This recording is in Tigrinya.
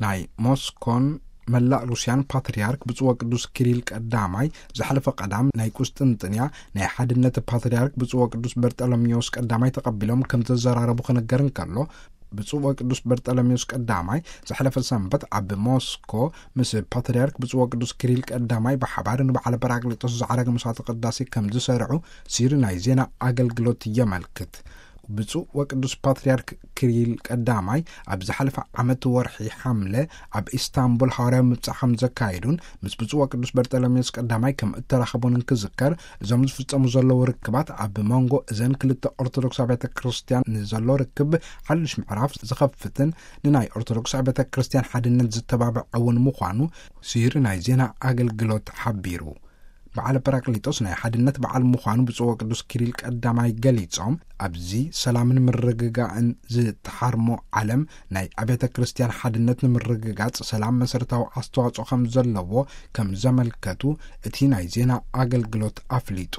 ናይ ሞስኮን መላእ ሩስያን ፓትርያርክ ብፁዕ ወቅዱስ ኪሪል ቀዳማይ ዝሓለፈ ቀዳም ናይ ቁስጥንጥንያ ናይ ሓድነት ፓትርያርክ ብፁዕ ወቅዱስ በርጠሎሜዎስ ቀዳማይ ተቐቢሎም ከም ተዘራረቡ ክነገር እንከሎ፣ ብፁዕ ወቅዱስ በርጠሎሜዎስ ቀዳማይ ዝሓለፈ ሰንበት ኣብ ሞስኮ ምስ ፓትርያርክ ብፁዕ ወቅዱስ ኪሪል ቀዳማይ ብሓባር ንበዓለ ጳራቅሊጦስ ዝዓረገ መስዋዕተ ቅዳሴ ከም ዝሰርዑ ሲሪ ናይ ዜና ኣገልግሎት የመልክት። ብፁዕ ወቅዱስ ፓትርያርክ ኪሪል ቀዳማይ ኣብ ዝሓለፈ ዓመት ወርሒ ሓምለ ኣብ ኢስታንቡል ሃዋርያዊ ምብጻሕ ከም ዘካየዱን ምስ ብፁዕ ወቅዱስ በርጠሎሜዎስ ቀዳማይ ከም እተራኸቡን እንክዝከር፣ እዞም ዝፍጸሙ ዘለዉ ርክባት ኣብ መንጎ እዘን ክልተ ኦርቶዶክስ ኣብያተ ክርስቲያን ንዘሎ ርክብ ሓድሽ ምዕራፍ ዝኸፍትን ንናይ ኦርቶዶክስ ኣብያተ ክርስቲያን ሓድነት ዝተባብዕ እውን ምዃኑ ሲሪ ናይ ዜና ኣገልግሎት ሓቢሩ። በዓለ ጳራቅሊጦስ ናይ ሓድነት በዓል ምዃኑ ብፁዕ ወቅዱስ ኪሪል ቀዳማይ ገሊጾም፣ ኣብዚ ሰላምን ምርግጋእን ዝተሓርሞ ዓለም ናይ ኣብያተ ክርስቲያን ሓድነት ንምርግጋጽ ሰላም መሰረታዊ ኣስተዋጽኦ ከም ዘለዎ ከም ዘመልከቱ እቲ ናይ ዜና ኣገልግሎት ኣፍሊጡ።